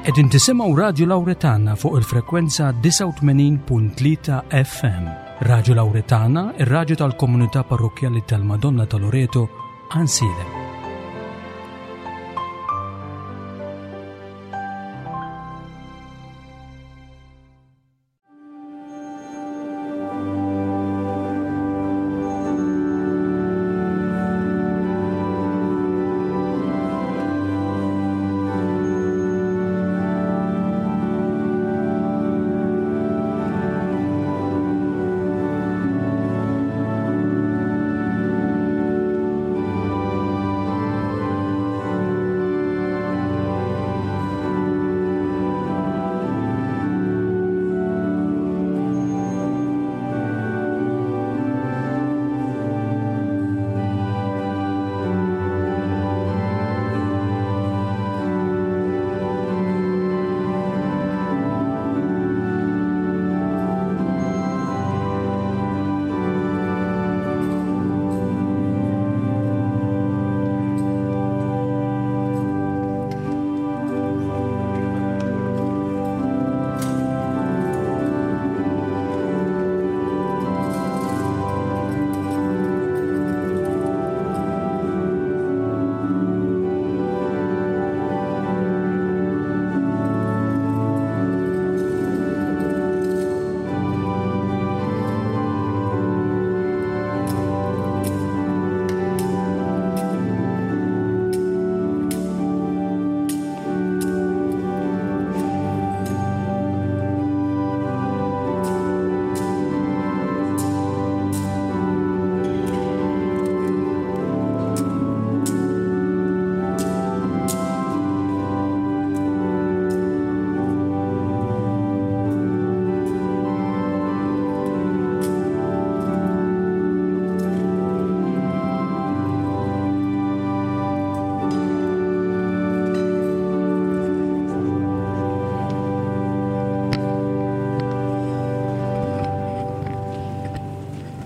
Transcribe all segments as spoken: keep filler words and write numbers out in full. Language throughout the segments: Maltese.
Qegħdin tisimgħu Radju Lawretana fuq il-frekwenza disgħa u tmenin punt tlieta F M. Radju Lawretana, ir-radju tal-komunità parrokkjali tal-Madonna ta' Loreto, Għajnsielem.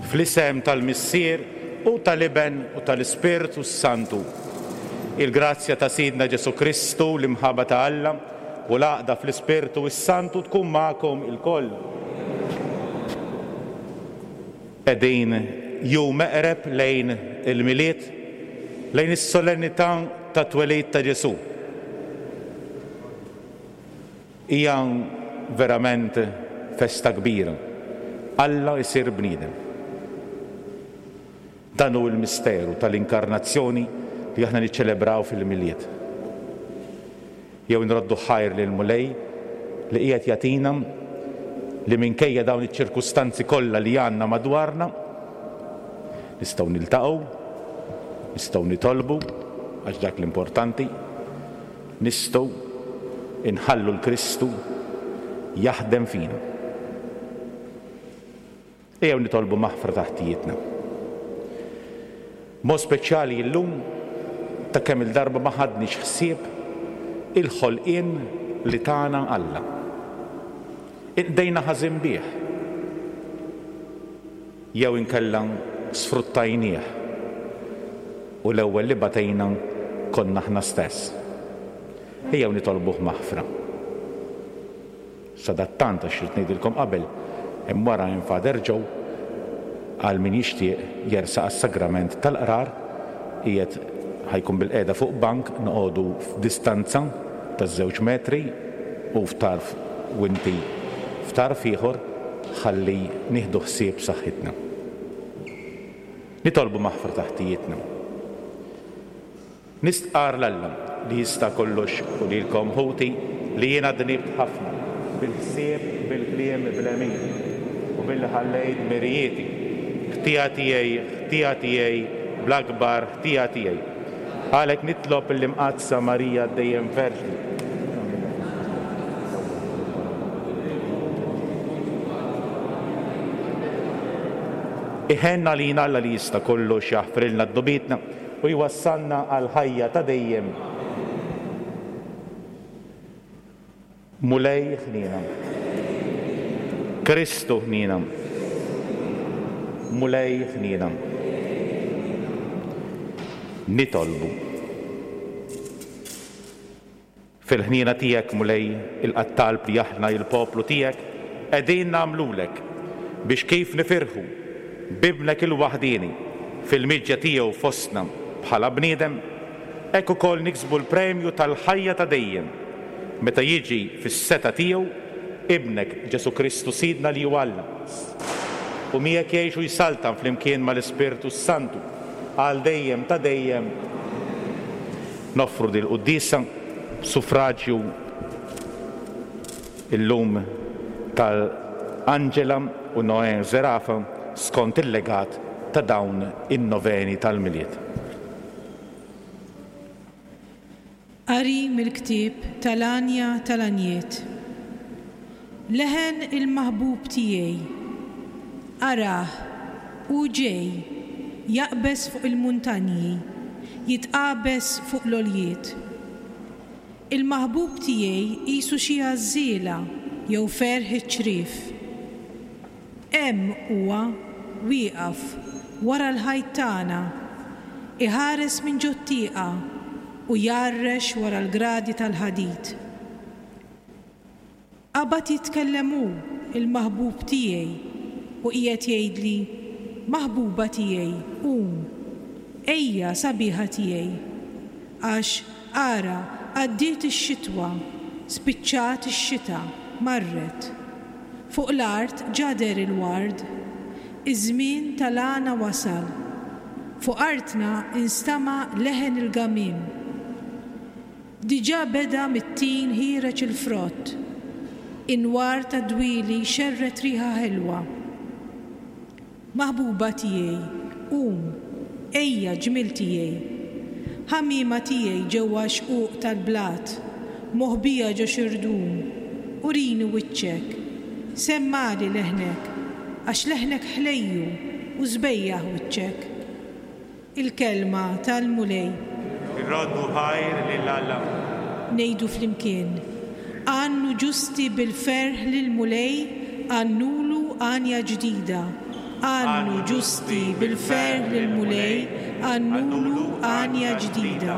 Fl-isem tal-Missier u tal-Iben u tal-Ispirtu Santu. Il-grazzja ta' Sidna Ġesu Kristu, l-imħabba ta' Alla u l-għaqda fl-Ispirtu s-Santu tkun magħkom ilkoll. Qegħdin jum eqreb lejn il-Milied, lejn is-solennità ta' twelid ta' Ġesu. Hija verament festa kbira. Alla jsir bniedem. Dan hu l-misteru tal-inkarnazzjoni li aħna niċċelebraw fil-Milied. Jew nroddu ħajr lil Mulej li qiegħed jagħtina li minkejja dawn iċ-ċirkustanzi kollha li għandna madwarna nistgħu niltaqgħu, nistgħu nitolbu għax dak l-importanti, nistgħu inħallu l-Kristu jaħdem fina. Ejjew nitolbu maħfra taħtijietna. Mod speċjali llum ta' kemm il-darba ma ħadniex ħsieb il-ħolqien li tana Alla. Inqdejna ħażin bih. Jew inkella sfruttajnieh u l-ewwel li batejna konna aħna stess. Ejjew nitolbuh maħfra. Sadattant għax rid ngħidilkom qabel, hemm wara hemm Father Joe għal min jixtieq jersaq għas-sagrament tal-qrar, qiegħed ħajkun bil-qiegħda fuq bank, noqogħdu f'distanza ta' żewġ metri u f'tarf u inti f'tarf ieħor ħalli nieħdu ħsieb saħħitna. Nitolbu maħfra taħtijietna. Nistqar l-Alla li jista' kollox u lilkom ħuti li jiena dnibt ħafna bil-ħsieb, bil-kliem, bl-għemil u billi ħallejt mirijieti. Ħtija tiegħi, ħtija tiegħi, bl-akbar ħtija tiegħi. Għalhekk nitlob l-Imqaddsa Marija dejjem Verġni. Iħenna lina Alla li jista' kollox jaħfrilna dnubietna u jwassalna għal ħajja ta' dejjem. Mulej ħniena. Kristu ħniena. Mulej ħniena. Nitolbu. Fil-ħniena tiegħek, Mulej, il-qattalb li aħna il-poplu tiegħek qegħdin nagħmlulek biex kif nifirħu b'ibnek il-waħdieni fil-miġja tiegħu fostna bħala bniedem, hekk ukoll niksbu l-premju tal-ħajja ta' dejjem meta jiġi fis-seta tiegħu ibnek Ġesu Kristu Sidna li hu Alla. U miegħek jgħix u jsaltan flimkien mal-Ispirtu Santu għal dejjem ta' dejjem. Noffru dil-quddiesa suffraġju illum tal-Angela u Noè Zerafa skont il-legat ta' dawn in-noveni tal-Milied. Qari mill-ktieb tal-Għanja tal-Għanjiet. Leħen il-maħbub tiegħi, arah, hu ġej, jaqbeż fuq il-muntanji, jitqabeż fuq l-għoljiet. Il-maħbub tiegħi qisu xi għażżiela jew ferħ iċ-ċriev. Hemm huwa wieqaf wara l-ħajt tagħna, iħares minn ġot-tieqa u jgħarrex wara l-gradi tal-ħadid. Qabad jitkellem hu, il-maħbub tiegħi, u qiegħed jgħidli, maħbuba tiegħi, qum, ejja sabiħa tiegħi. Għax ara, għaddiet ix-xitwa, spiċċat ix-xita, marret. Fuq l-art ġader il-ward, iż-żmien tal-għana wasal. Fuq artna instama' leħen il-gamiem. Diġà beda mit-tin ħiereġ il-frott, inwar ta' dwieli xerret riħa ħelwa. Maħbuba tiegħi, qum, ejja ġmiel tiegħi. Ħamiema tiegħi ġewwa xquq tal-blat, moħbija ġo xirdum, urini wiċċek, semmali leħnek, għax leħnek ħlejju u sbejjaħ wiċċek. Il-kelma tal-Mulej. Irroddu ħajr lil Alla. Ngħidu flimkien, għannu ġusti bil-ferħ lill-Mulej, għannulu għanja ġdida. Għannu ġusti bil-ferħ lill-Mulej, għannulu għanja ġdida.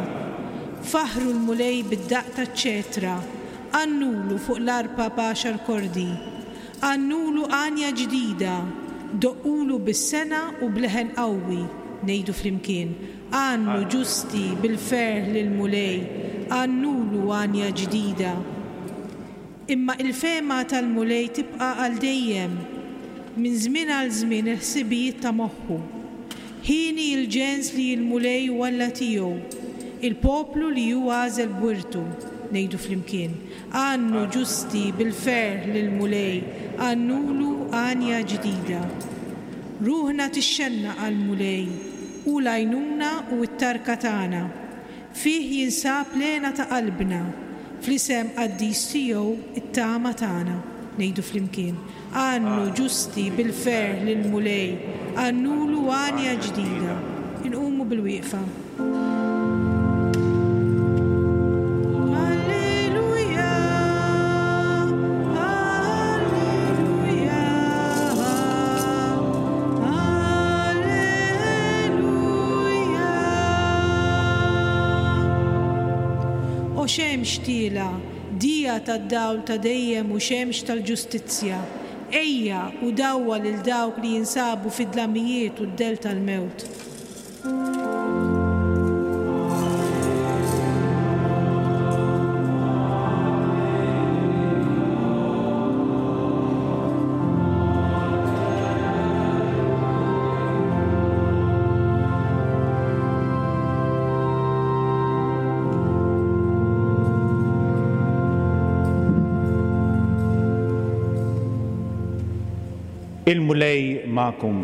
Faħru l-Mulej bid-daqq taċ-ċetra, għannulu fuq l-arpa b'għaxar kordi. Għannulu għanja ġdida, doqqulu bis-sena u bleħen qawwi. Ngħidu flimkien, għannu ġusti bil-ferħ lill-Mulej, għannulu għanja ġdida. Imma il-fehma tal-Mulej tibqa' għal dejjem, minn żmien għal żmien il-ħsibijiet ta' moħħu. Ħieni l-ġens li l-Mulej hu Alla tiegħu, il-poplu li hu għażel b'wirtu. Ngħidu flimkien, għannu ġusti bil-ferħ lill-Mulej, għannulu għanja ġdida. Ruħna tixxenna għall-Mulej, hu l-għajnuna u t-tarka tagħna. Fih jinsab l-hena ta' qalbna, fl-isem qaddis tiegħu it-tama tagħna. Ngħidu flimkien, għannu ġusti bil-ferħ lill-Mulej, għannulu għanja ġdida. Inqumu bil-wieqfa. Alleluja, alleluja, alleluja. O xemx tiela, dija tad-dawl ta' dejjem u xemx tal-ġustizzja, ejja u dawwa lil dawk li jinsabu fid-dlamijiet u d-del tal-mewt. Il-Mulej magħkom.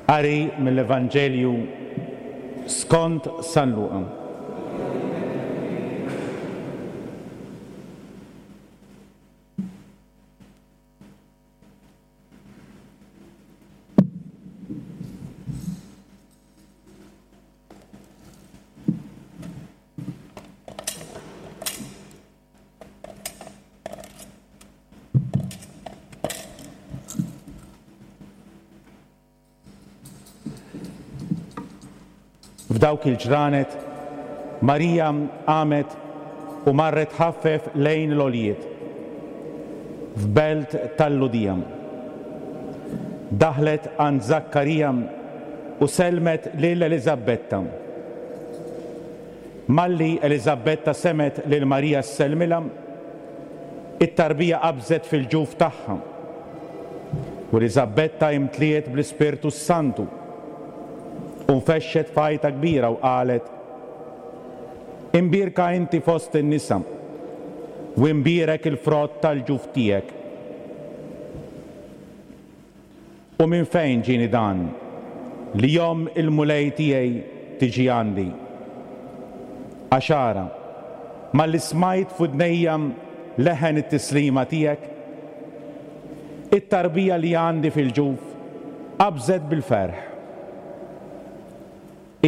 Qari mill-Evanġelju skont San Luqa. F'dawk il-ġranet Marija qamet u marret ħaffef lejn l-għoljiet, f'belt tal-Lhudija. Daħlet għand Żakkarija u sellmet lil Eliżabetta. Malli Eliżabetta semgħet lil Marija ssellmilha, it-tarbija qabżet fil-ġuf tagħha. U Eliżabetta imtliet bl-Ispirtu s-Santu u nfexxet f'għajta kbira u qalet: Imbierka inti fost in-nisa u imbierek il-frott tal-ġuf tiegħek. U minn fejn ġieni dan li omm il-Mulej tiegħi tiġi għandi? Għax ara, malli smajt f'widnejja leħen it-tislima tiegħek, it-tarbija li għandi fil-ġuf qabżet bil-ferħ.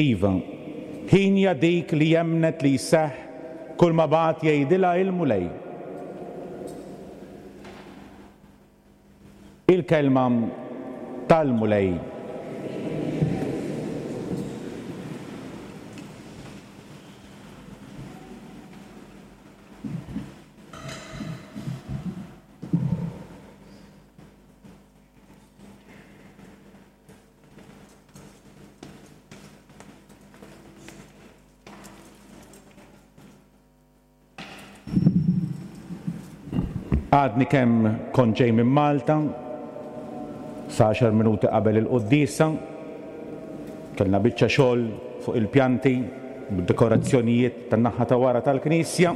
Iva, ħinja dik li jemnet li jseħħ kull ma bagħat jgħidilha il-Mulej. Il-kelma tal-Mulej. Għadni kemm kont ġej minn Malta, sa għaxar minuti qabel il-quddiesa, kellna biċċa xogħol fuq il-pjanti, bid-dekorazzjonijiet tan-naħa ta' wara tal-knisja.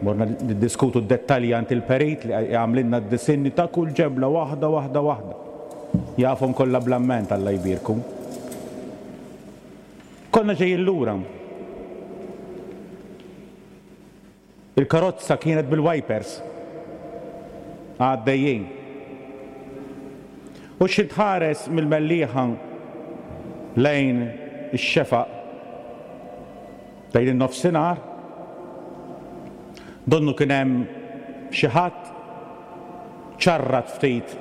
Morna niddiskutu d-dettalji għand il-perit li għamlilna d-disinni ta' kull ġebla waħda waħda waħda. Jafhom kollha bl-amment, Alla jbierku. Konna ġejjin lura. Il-karozza kienet bil-wipers. Għaddejjin. U xi tħares mill-Mellieħa lejn ix-xefaq lejn in-nofsinhar, donnu kien hemm xi ħadd ċarrat ftit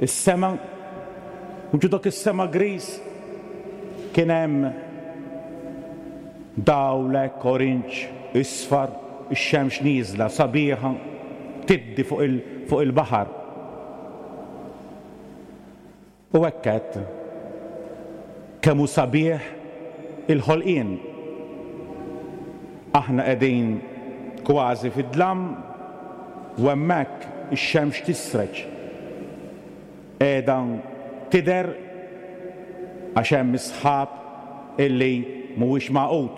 is-sema, u ġo dak is-sema gris kien hemm dawl hekk orange, isfar, ix-xemx nieżla sabiħa tiddi fuq il, fuq il-baħar. U hekk għedt, kemm hu sabiħ il-ħolqien. Aħna qegħdin kważi fid-dlam u hemmhekk ix-xemx tisreġ. Qiegħda tidher għax hemm is-sħab illi mhuwiex magħqud.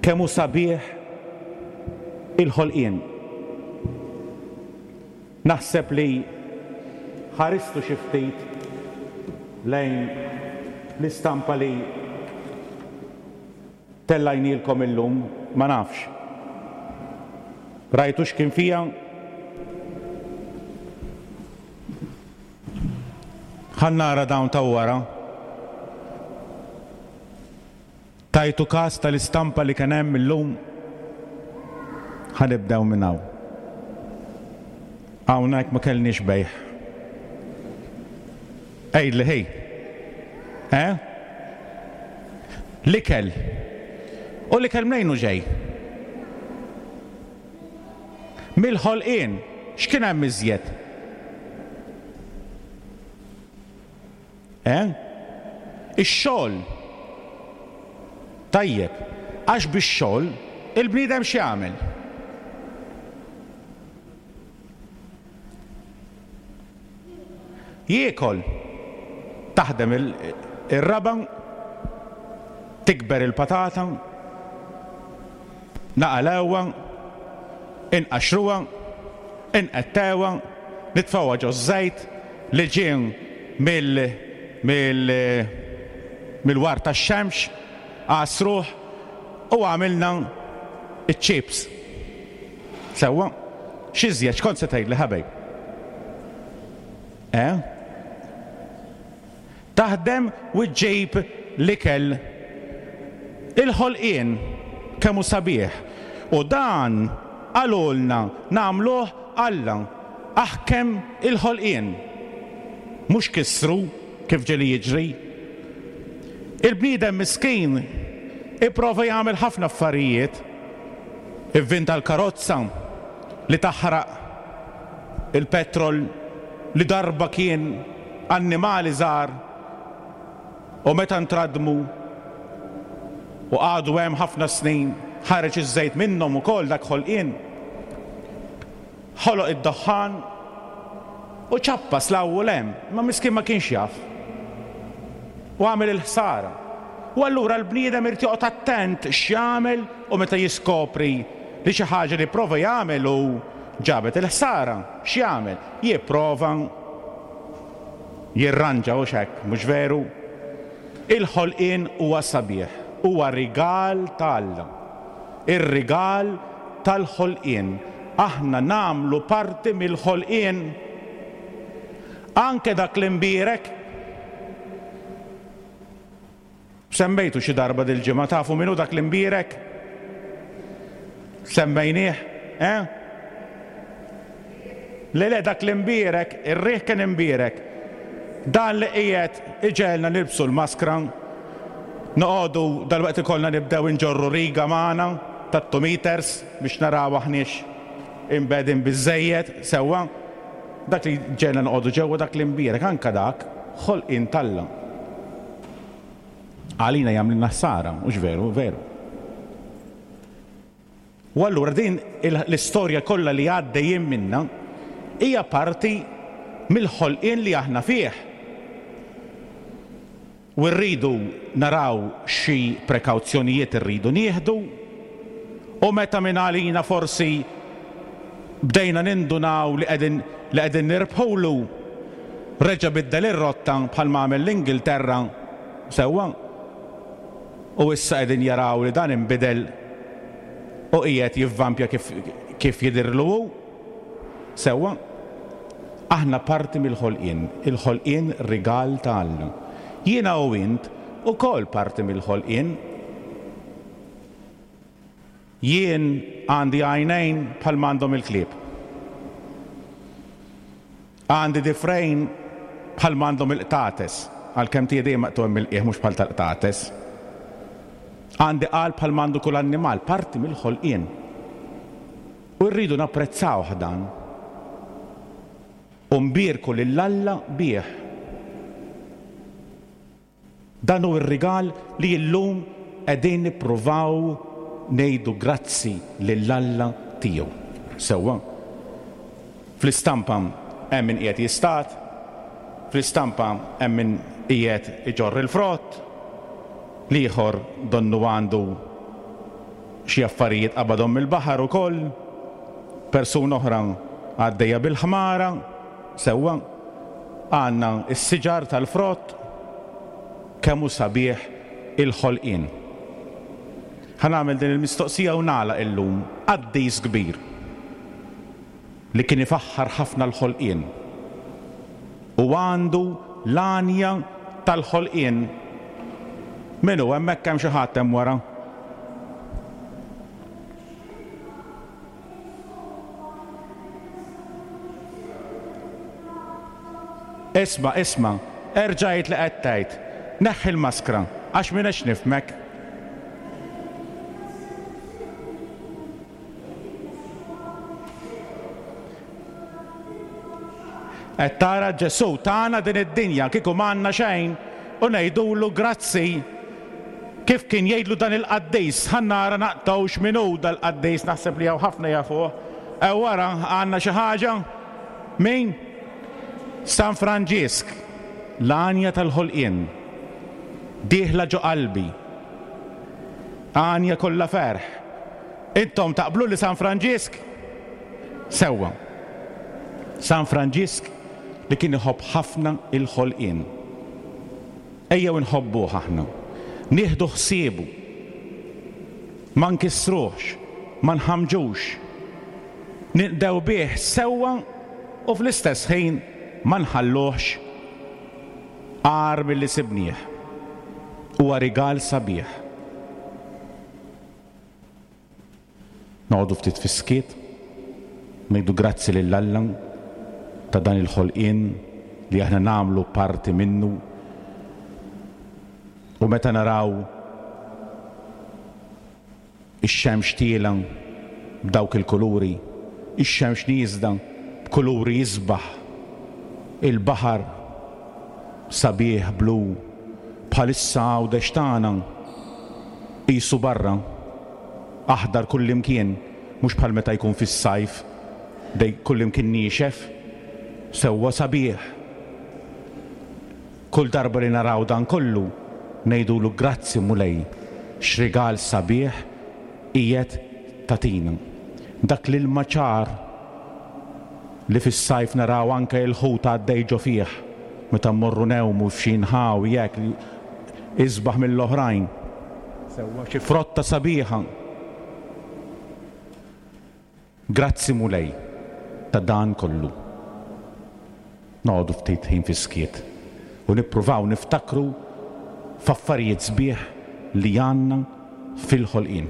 Kemm hu sabiħ il-ħolqien. Naħseb li ħaristu xi ftit lejn l-istampa li tellajnielkom illum, ma nafx. Rajtu x'kien fija? Ħa nara dawn ta' wara. Tajtu każ tal-istampa li kien hemm illum? Ħa nibdew minn hawn. Hawnhekk ma kellniex bejħ. Għidli ħi. Eh? L-ikel. U l-ikel mnejn hu ġej? Mill-ħolqien. X'kien hemm iżjed? Eh? Ix-xogħol. Tajjeb, għax bix-xogħol il-bniedem x'jagħmel? Jiekol. Taħdem ir-raba', tikber il-patata, naqalewha, inqaxxruha, inqettewha, nitfgħuha ġoż-żejt li ġie mill mill mill-war tax-xemx, għasruh u għamilna ċ-chips. Sewwa? X'iżjed x'kont se tgħidli ħabej? Eh? Taħdem u ġġib l-ikel. Il-ħolqien kemm hu sabiħ. U dan qalulna nagħmluh Alla. Aħkem il-ħolqien. Mhux kissru kif ġieli jiġri. Il-bniedem miskin ipprova jagħmel ħafna affarijiet. Ivvinta l-karozza li taħraq il-petrol li darba kien annimali żgħar u meta ntradmu u qagħdu hemm ħafna snin ħareġ iż-żejt minnhom ukoll dak ħolqien. Ħoloq id-duħħan u ċappas l-ewwel hemm, ma miskin ma kienx jaf. U għamel il-ħsara. U allura l-bniedem irid joqgħod attent x'jagħmel u meta jiskopri li xi ħaġa li prova jagħmel u ġabet il-ħsara, x'jagħmel? Jipprova jirranġa u hekk, mhux veru? Il-ħolqien huwa sabiħ, huwa rigal ta' Alla. Ir-rigal tal-ħolqien. Aħna nagħmlu parti mill-ħolqien. Anke dak l-imbierek. Semmejtu xi darba dil-ġimgħa, tafu min hu dak l-imbierek? Semmejnieh, eh? Le le dak l-imbierek, ir-riħ kien imbierek. Dan li qiegħed iġegħelna nilbsu l-maskra, noqogħdu dalwaqt ikollna nibdew inġorru riga magħna ta' two meters biex naraw aħniex imbegħdin biżżejjed sewwa. Dak li ġegħelna noqogħdu ġewwa dak l-imbierek, anke dak ħolqien t'Alla. Għalina jagħmlilna ħsara, mhux veru, veru. U allura din l-istorja kollha li għaddejjin minna hija parti mill-ħolqien li aħna fih. U rridu naraw xi prekawzjonijiet irridu nieħdu, u meta minn għalina forsi bdejna nindunaw li qegħdin li qegħdin nirbħulu, reġa' biddel ir-rotta bħalma għamel l-Ingilterra sewwa. U issa qegħdin jaraw li dan inbidel u qiegħed jivvampja kif, kif jidhirlu hu. Sewwa. Aħna parti mill-ħolqien, il-ħolqien rigal ta' Alla. Jiena u int ukoll parti mill-ħolqien. Jien għandi għajnejn bħalma għandhom il-klieb. Għandi difrejn bħalma għandhom il-qtates, għalkemm tiegħi dejjem maqtugħ mill-qiegħ mhux bħal tal-qtates. Għandi qalb bħalma għandu kull annimal, parti mill-ħolqien. U rridu napprezzawh dan. U nbierku lil Alla bih. Dan hu r-rigal li llum qegħdin nippruvaw ngħidu grazzi lil Alla tiegħu. Sewwa. Fl-istampa hemm min qiegħed jistad, fl-istampa hemm min qiegħed iġorr il-frott, l-ieħor donnu għandu xi affarijiet qabadhom mill-baħar ukoll, persuna oħra għaddejja bil-ħmara, sewwa. Għandna s-siġar tal-frott, kemm hu sabiħ il-ħolqien. Ħa nagħmel din il-mistoqsija u nagħlaq illum. Qaddis kbir li kien ifaħħar ħafna l-ħolqien u għandu l-għanja tal-ħolqien. Min hu? Hemmhekk hemm xi ħadd hemm wara. Isma', isma', erġa' għid li qed tgħid. Neħħi l-maskra, għax m'iniex nifhmek. Qed tara Ġesù tana din id-dinja kieku m'għandna xejn u ngħidulu grazzi. Kif kien jgħidlu dan il-qaddis, ħa nara naqtgħux min hu dal-qaddis, naħseb li hawn ħafna jafuh. Ew wara għandna xi ħaġa? Min? San Franġisk, l-għanja tal-ħolqien, dieħla ġo qalbi. Għanja kollha ferħ. Intom taqblu li San Franġisk? Sewwa. San Franġisk li kien iħobb ħafna il-ħolqien. Ejjew inħobbuh aħna. Nieħdu ħsiebu. Ma nkissruhx, ma nħammġux. Ninqdew bih sewwa u fl-istess ħin ma nħalluhx agħar milli sibnieh. Huwa rigal sabiħ. Noqogħdu ftit fis-skiet, ngħidu grazzi lil Alla ta' dan il-ħolqien li aħna nagħmlu parti minnu. U meta naraw ix-xemx tiela b'dawk il-kuluri, ix-xemx nieżla b'kuluri isbaħ, il-baħar sabiħ blu, bħalissa Għawdex tagħna qisu barra, aħdar kullimkien, mhux bħal meta jkun fis-sajf, dej kullimkien niexef, sewwa sabiħ. Kull darba li naraw dan kollu, ngħidulu grazzi Mulej, x'rigal sabiħ qiegħed tagħtina. Dak l-ilma ċar li fis-sajf naraw anke il-ħut għaddej ġo fih, meta mmorru ngħumu f'xi nħawi hekk isbaħ mill-oħrajn. Sewwa xi frotta sabiħa. Grazzi Mulej ta' dan kollu. Noqogħdu ftit ħin fis-skiet u nippruvaw niftakru f'affarijiet sbieħ li għandna fil-ħolqien.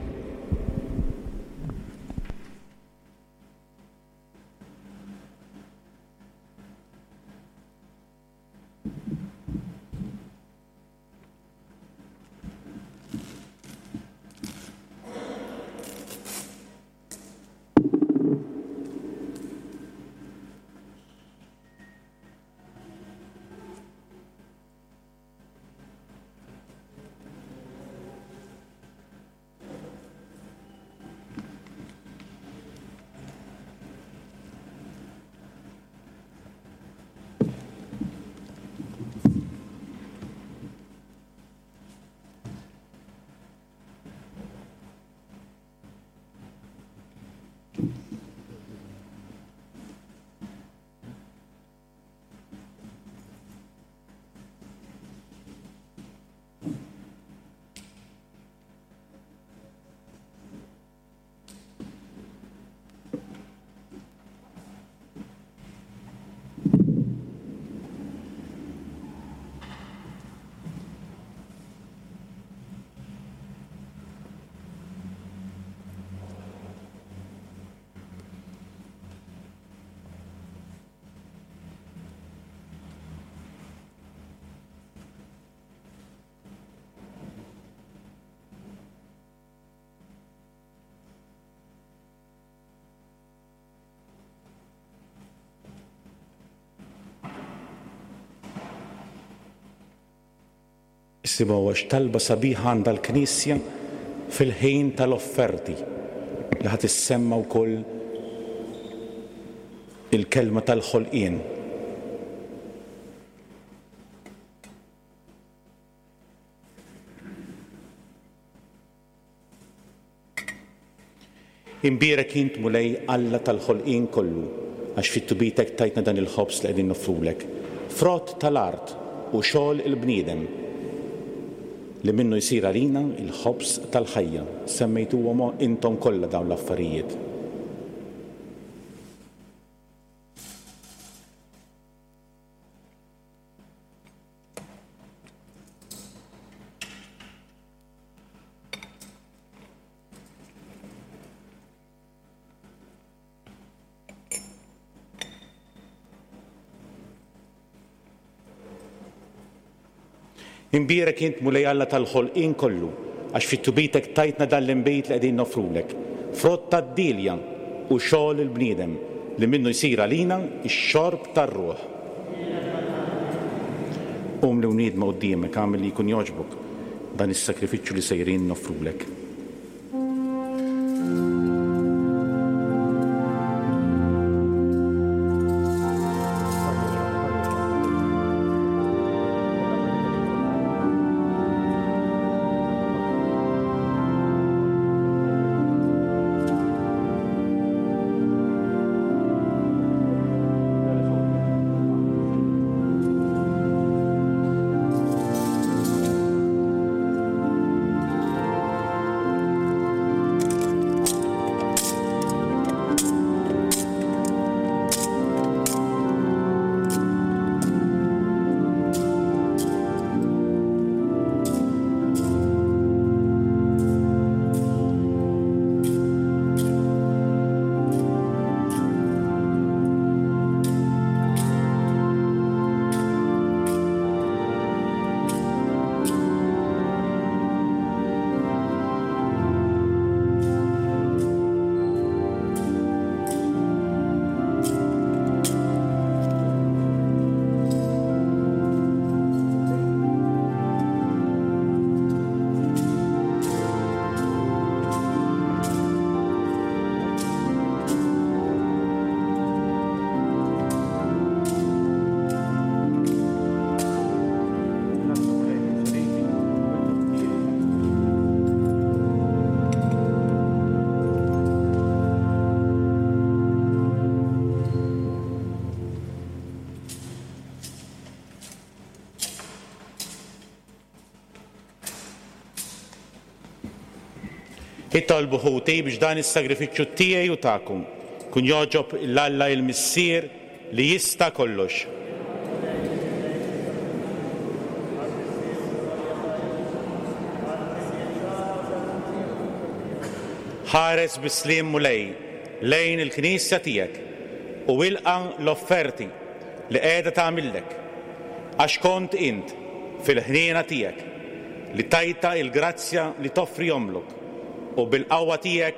Isimgħu għax talba sabiħa għandha l-Knisja fil-ħin tal-offerti li ħa tissemma wkoll il-kelma tal-ħolqien. Imbierek int Mulej Alla tal-ħolqien kollu, għax fit-tubitek tajtna dan il-ħobż li qegħdin noffrulek, frott tal-art u xogħol il-bniedem, li minnu jsir għalina il-ħobż tal-ħajja. Semmejtuhom intom kollha dawn l-affarijiet. Imbierek int Mulej Alla tal-ħolqien kollu, għax fit-tubitek tajtna dan l-inbejt li qegħdin noffrulek, frott tad-dilja u xogħol il-bniedem, li minnu jsir għalina x-xorb tar-ruħ. Qum li wniedma quddiemek, agħmel li jkun jogħġbok dan is-sakrifiċċju li sejrin noffrulek. Itolbu ħuti biex dan is-sagrifiċċju tiegħi u tagħkom kun jogħġob 'l Alla il-Missier li jista' kollox. Ħares bis-sliem Mulej lejn il-Knisja tiegħek u ilqa' l-offerti li qiegħda tagħmillek, għax kont int fil-ħniena tiegħek li tajta il-grazzja li toffri omlok u bil-qawwa tiegħek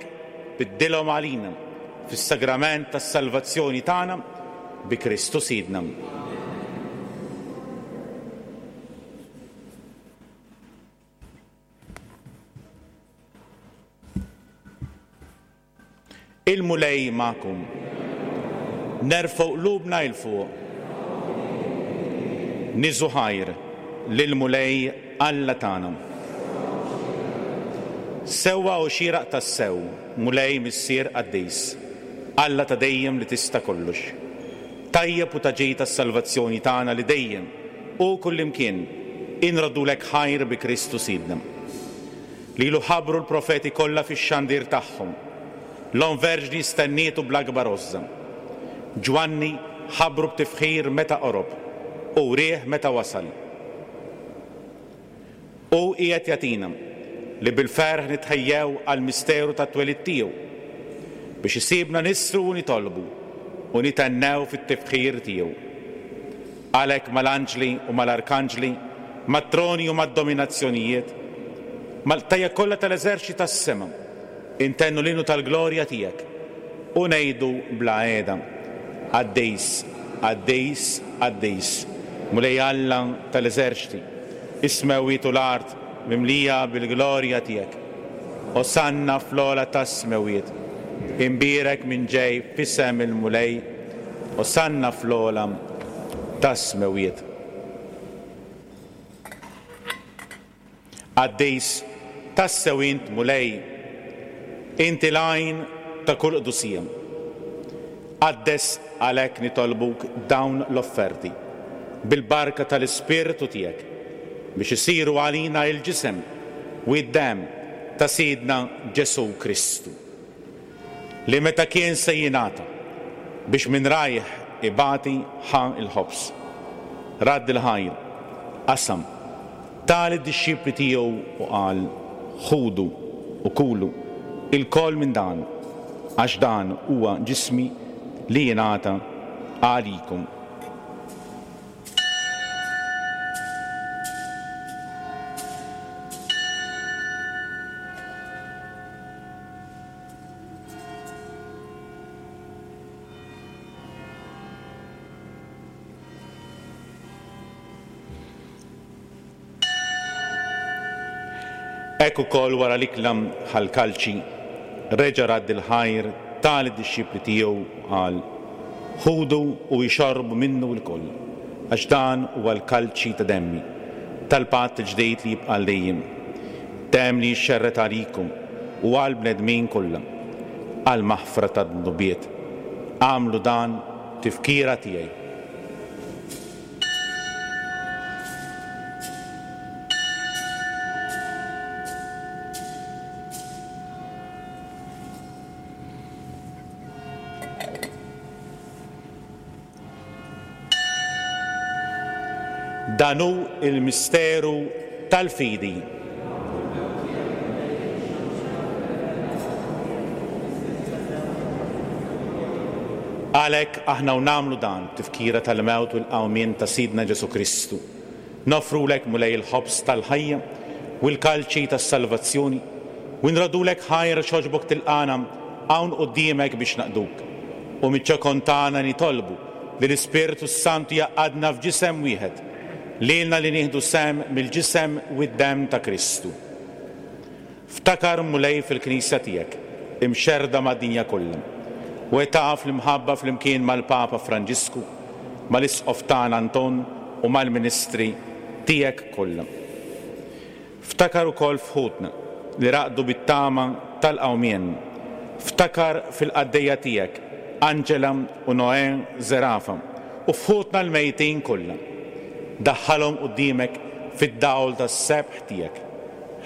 biddilhom għalina fis-sagrament tas-salvazzjoni tagħna bi Kristu Sidna. Il-Mulej magħkom. Nerfgħu qlubna 'l fuq. Niżu ħajr lill-Mulej Alla tagħna. Sewwa u xieraq tassew, Mulej Missier Qaddis, Alla ta' dejjem li tista' kollox. Tajjeb u ta' ġid tas-salvazzjoni tagħna li dejjem u kullimkien inroddulek ħajr bi Kristu Sidna. Lilu ħabbru l-profeti kollha fix-xandir tagħhom. L-Omm Verġni stennietu bl-akbar għożża. Ġwanni ħabbru b'tifħir meta qorob u wrieh meta wasal. U qiegħed jagħtina li bil-ferħ nitħejjew għall-misteru tat-twelid tiegħu biex isibna nissru u nitolbu u nitennew fit-tifħir tiegħu. Għalhekk mal-anġli u mal-arkanġli, mat-troni u mad-dominazzjonijiet, mal-qtajja kollha tal-eżerċti tas-sema, intennu l-innu tal-glorja tiegħek u ngħidu bla qiegħda: Qaddis, qaddis, qaddis, Mulej Alla tal-eżerċti, is-smewwiet u l-art mimlija bil-glorja tiegħek. Osanna fl-ogħla tas-smewwiet, imbierek minn ġej f'isem il-Mulej, osanna fl-ogħla tas-smewwiet. Qaddis, tassew int Mulej, inti l-għajn ta' kull qdusija. Qaddes għalhekk nitolbuk dawn l-offerti bil-barka tal-Ispirtu tiegħek biex isiru għalina il-ġisem u d-demm ta' Sidna Ġesù Kristu, li meta kien se jingħata biex minn rajh ibati ħa l-ħobż, radd il-ħajr, qasam, ta lid-dixxipli tiegħu u qal: Ħudu u kulu ilkoll minn dan, għax dan huwa ġismi li jingħata għalikom. Hekk ukoll wara l-ikla ħall-kalċi, reġa' radd il-ħajr ta lid-dixxipli tiegħu u qal: Ħudu u ixorbu minnu lkoll, għax dan huwa l-kalċi ta' demmi, tal-patt il-ġdid li jibqa' għal dejjem, demm li jixxerred għalikom u għal bnedmin kollha, għal maħfra tad-dnubiet. Agħmlu dan tifkira tiegħi. Dan hu il-misteru tal-fidi. Għalhekk aħna u nagħmlu dan tifkira tal-mewt u l-qawmien ta' Sidna Ġesù Kristu. Noffrulek Mulej il-ħobż tal-ħajja u l-kalċi tas-salvazzjoni u nrodulek ħajr xogħġbok tilqana hawn quddiemek biex naqduk. U miċ-ċokon tagħna nitolbu li l-Ispirtu s-Santu jgħaqqadna f'ġisem wieħed, lilna li nieħdu sehem mill-ġisem u d-demm ta' Kristu. Ftakar Mulej fil-Knisja tiegħek, imxerrda mad-dinja kollha, u taf l-imħabba flimkien mal-Papa Franġisku, mal-Isqof tagħna Anton u mal-Ministri tiegħek kollha. Ftakar ukoll f'ħutna li raqdu bit-tama tal-qawmien. Ftakar fil-qaddejja tiegħek Angela u Noè Zerafa u f'ħutna l-mejtin kollha. Daħħalhom quddiemek fid-dawl tas-sebħ tiegħek.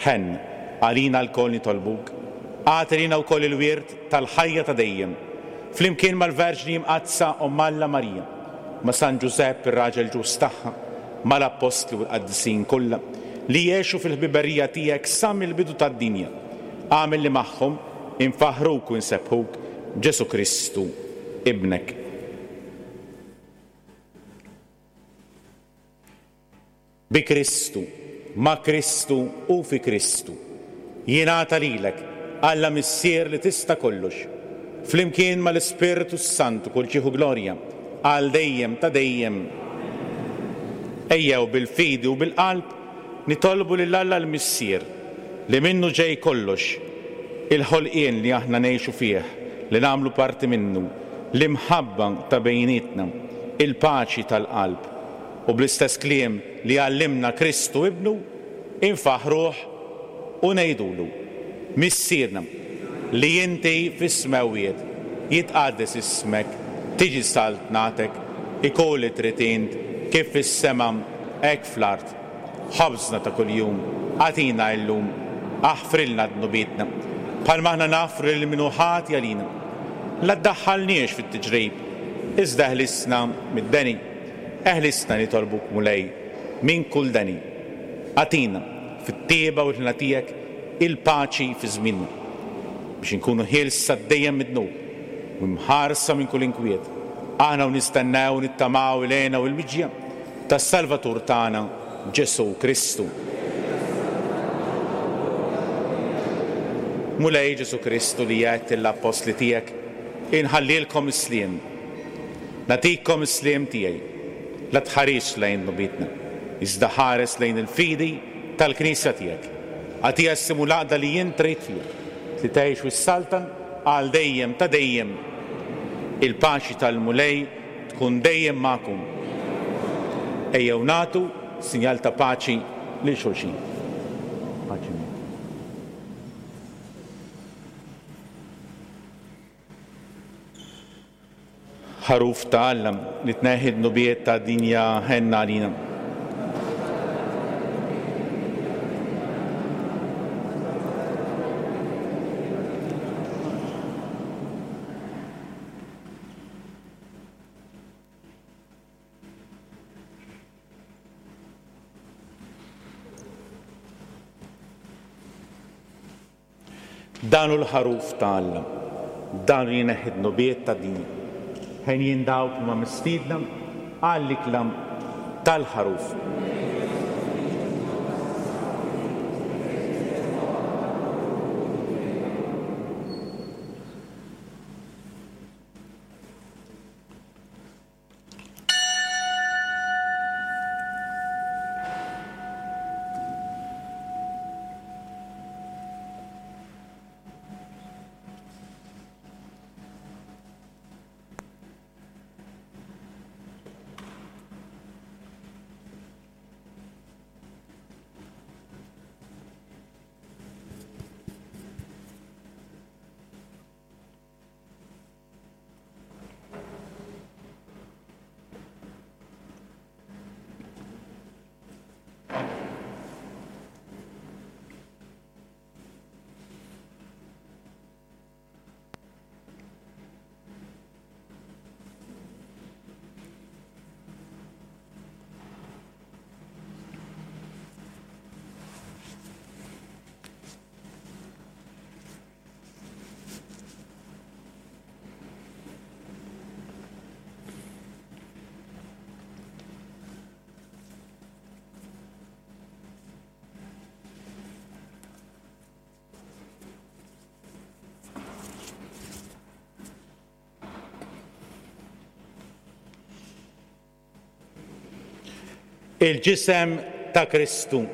Ħenn għalina lkoll nitolbuk Agħti lilna wkoll il-wirt tal-ħajja ta' dejjem, flimkien mal-Verġni Mqaddsa Omm Alla Marija, ma' San Ġużepp ir-raġel ġust tagħha, mal-Appostli u l-Qaddisin kollha, li jgħixu fil-ħbiberija tiegħek sa mill-bidu tad-dinja. Agħmel li magħhom infaħruk u nsebbħuk Ġesù Kristu, Ibnek. Bi Kristu, ma' Kristu u fi Kristu, jingħata lilek, Alla Missier li tista' kollox, flimkien mal-Ispirtu s-Santu kull ġieħ u glorja, għal dejjem ta' dejjem. Ejjew bil-fidi u bil-qalb nitolbu lil Alla l-Missier li minnu ġej kollox, il-ħolqien li aħna ngħixu fih, li nagħmlu parti minnu, l-imħabba ta' bejnietna, il-paċi tal-qalb, u bl-istess kliem li għallimna Kristu Ibnu, infaħruh u ngħidulu: Missierna li inti fis-smewwiet, jitqaddes ismek, tiġi saltnatek, ikun li trid int kif fis-sema hekk fl-art. Ħobżna ta' kuljum agħtina llum, aħfrilna dnubietna, bħalma aħna nafru lil min hu ħati għalina. La ddaħħalniex fit-tiġrib, iżda eħlisna mid-deni. Eħlisna nitolbuk Mulej minn kull deni. Agħtina fit-tieba u l-ħna tiegħek il-paċi fi żmienna, biex inkunu ħielsa dejjem mid-dnub u mħarsa minn kull inkwiet. Aħna u nistennew nittamaw il-hena u l-miġja tas-Salvatur tagħna Ġesù Kristu. Mulej Ġesù Kristu li għedt lill-appostli tiegħek, inħallilkom is-sliem, nagħtikom is-sliem tiegħi. La tħarisx lejn dnubietna, iżda ħares lejn il-fidi tal-Knisja tiegħek. Agħtiha s-simu l-għaqda li int trid fiha, li tgħix u ssaltan għal dejjem ta' dejjem. Il-paċi tal-Mulej tkun dejjem magħkom. Ejjew nagħtu sinjal ta' paċi lil xulxin. Paċi miegħek. Ħaruf ta' Alla li tneħħi d-dnubiet ta' dinja, ħenna għalina. Dan hu l-ħaruf ta' Alla, dan li jneħħi d-dnubiet ta' dinja. Ħenjin dawk li huma mistiedna għall-ikla tal-ħaruf. Il-ġisem ta' Kristu.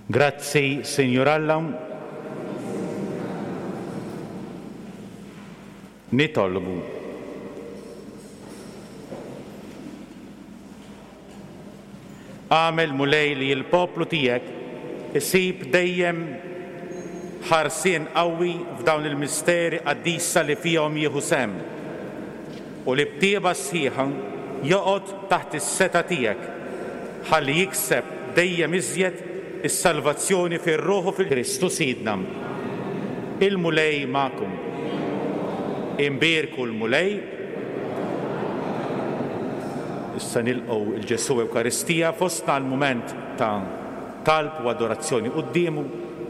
Grazzi, Sinjur Alla. Nitolbu. Għamel Mulej li l-poplu tiegħek isib dejjem ħarsien qawwi f'dawn il-misteri qaddisa li fihom jieħu sehem u li b'tieba sħiħa joqgħod taħt is-setgħa tiegħek ħalli jikseb dejjem iżjed is-salvazzjoni fir-ruħu fil-Kristu Sidna. Il-Mulej magħkom. Imbierku l-Mulej. Issa nilqgħu il-Ġesù Ewkaristija fostna l-mument ta' talb u adorazzjoni quddiemu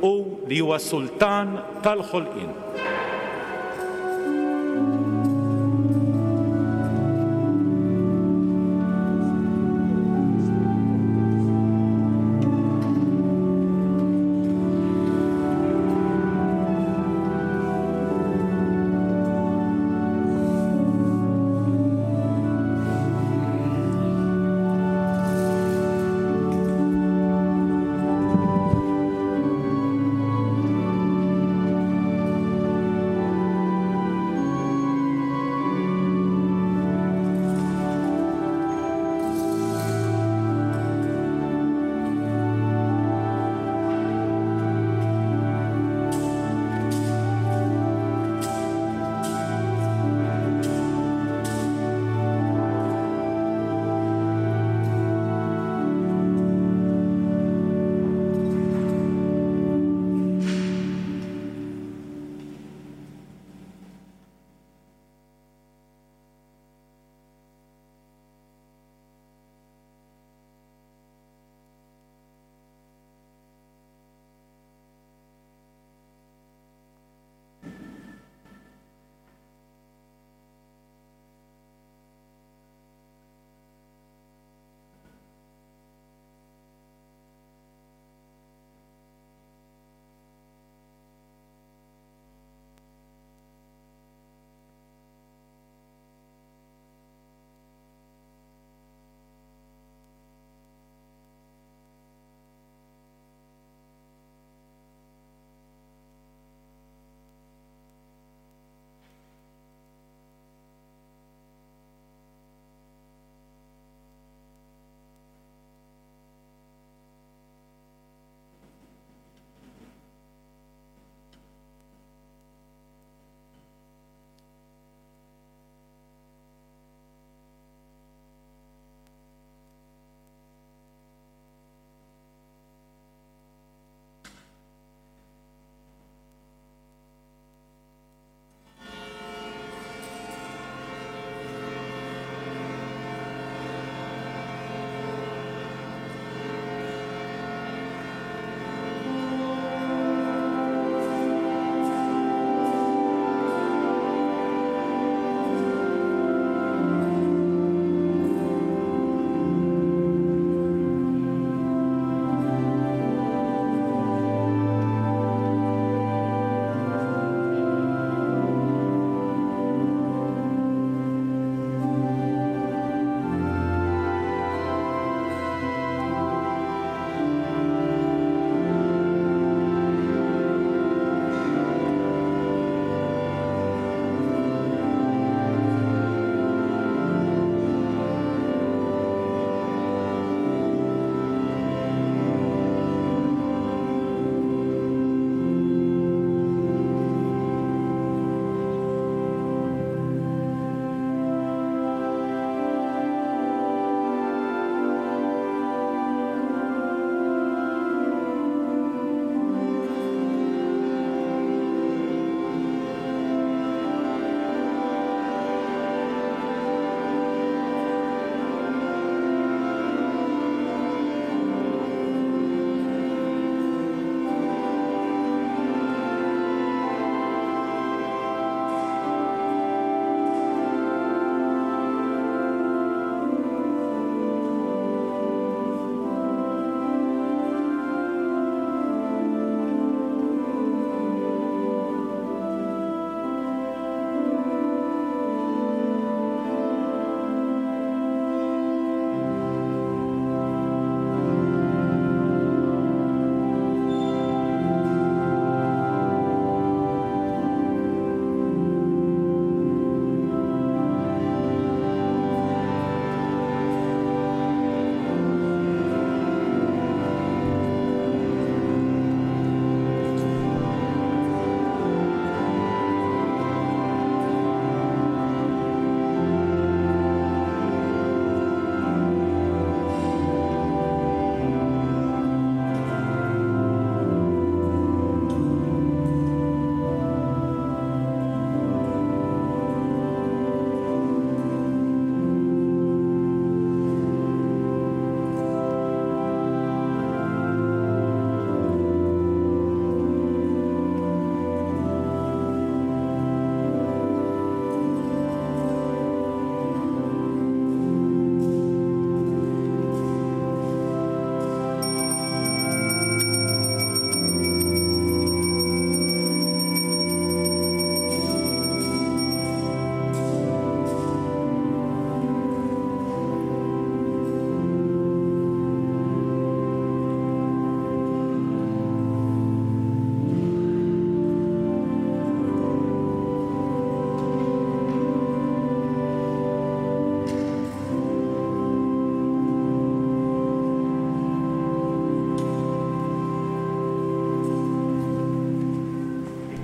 u li huwa sultan tal-ħolqien.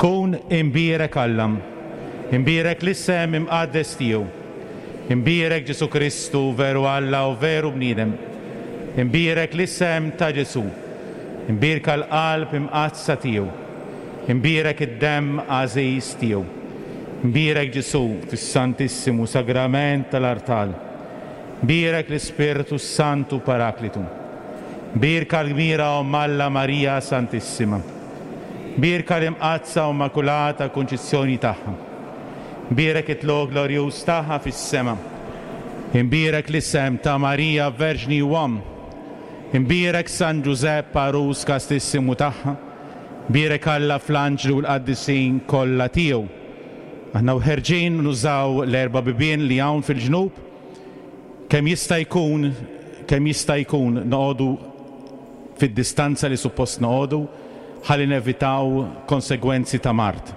Ikun imbierek Alla, imbierek l-isem imqaddes tiegħu, imbierek Ġesù Kristu veru Alla u veru bniedem, imbierek l-isem ta' Ġesù, imbierka l-qalb imqaddsa tiegħu, imbierek id-demm għażiż tiegħu, imbierek Ġesù fis-Santissimu Sagrament tal-Artal, imbierek l-Ispirtu Santu Paraklitu, imbierka l-kbira Omm Alla Marija Santissima, imbierka l-Imqaddsa u Immakulata Kunċizzjoni tagħha, imbierek it-tlugħ glorjuż tagħha fis-sema, imbierek l-isem ta' Marija Verġni u Omm, imbierek San Ġużepp għarus kastissimu tagħha, imbierek Alla fl-anġli u l-qaddisin kollha tiegħu. Aħna u ħerġin nużaw l-erba' bibien li hawn fil-ġnub, kemm jista' jkun, kemm jista' jkun noqogħdu fid-distanza li suppost noqogħdu, ħalli nevitaw konsegwenzi ta' mard.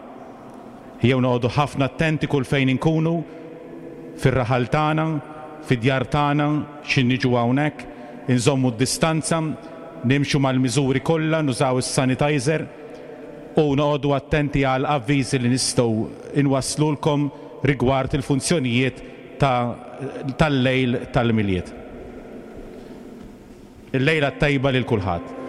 Jew noqogħdu ħafna attenti kull fejn inkunu, fir-raħal tagħna, fid-djar tagħna, x'ħin niġu hawnhekk, inżommu d-distanza, nimxu mal-miżuri kollha, nużaw is-sanitizer u noqogħdu attenti għal avviżi li nistgħu inwasslulkom rigward il-funzjonijiet tal-lejl tal-Milied. Il-lejla tajba lil kulħadd.